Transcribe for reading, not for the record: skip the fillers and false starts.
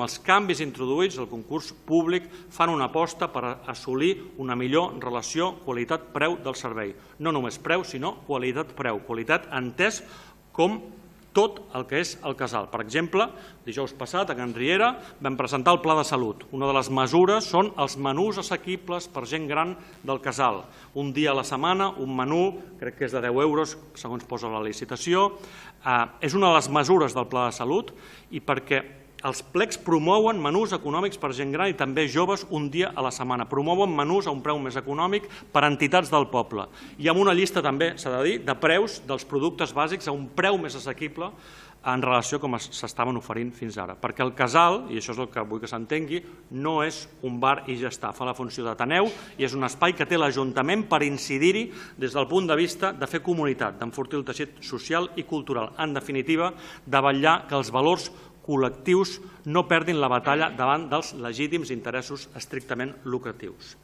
Els canvis introduïts al concurs públic fan una aposta per assolir una millor relació qualitat-preu del servei. No només preu, sinó qualitat-preu. Qualitat entès com tot el que és el casal. Per exemple, dijous passat a Can Riera vam presentar el Pla de Salut. Una de les mesures són els menús assequibles per gent gran del casal. Un dia a la setmana, un menú, crec que és de 10 euros, segons posa la licitació. És una de les mesures del Pla de Salut i perquè els plecs promouen menús econòmics per gent gran i també joves un dia a la setmana. Promouen menús a un preu més econòmic per a entitats del poble. I amb una llista també, s'ha de dir, de preus dels productes bàsics a un preu més assequible en relació a com s'estaven oferint fins ara. Perquè el casal, i això és el que vull que s'entengui, no és un bar i ja està. Fa la funció d'ateneu i és un espai que té l'Ajuntament per incidir-hi des del punt de vista de fer comunitat, d'enfortir el teixit social i cultural. En definitiva, de vetllar que els valors col·lectius no perdin la batalla davant dels legítims interessos estrictament lucratius.